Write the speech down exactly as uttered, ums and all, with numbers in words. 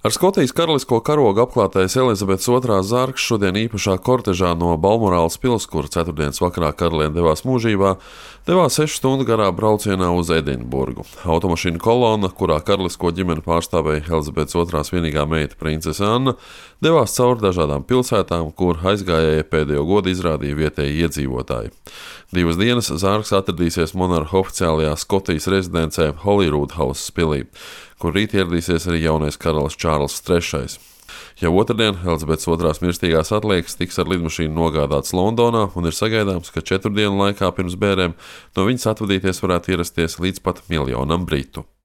Ar Skotijas karalisko karogu apklātais Elizabetes otrās zārks šodien īpašā kortežā no Balmorāles pils, kur ceturtdienas vakarā karaliene devās mūžībā, devās sešu stundu garā braucienā uz Edinburgu. Automašīnu kolona, kurā karalisko ģimeni pārstāvēja Elizabetes otrās vienīgā meita princese Anna, devās cauri dažādām pilsētām, kur aizgājēji pēdējo godu izrādīja vietēji iedzīvotāji. Divas dienas zārks atradīsies monarha oficiālajā Skotijas rezidencē Holyrood House pilī, kur rīt ieradīsies arī jaunais karalis Čārls trešais. Jau otrdien Elizabetes otrās mirstīgās atliekas tiks ar lidmašīnu nogādāts Londonā un ir sagaidāms, ka četru dienu laikā pirms bērēm no viņas atvadīties varētu ierasties līdz pat miljonam britu.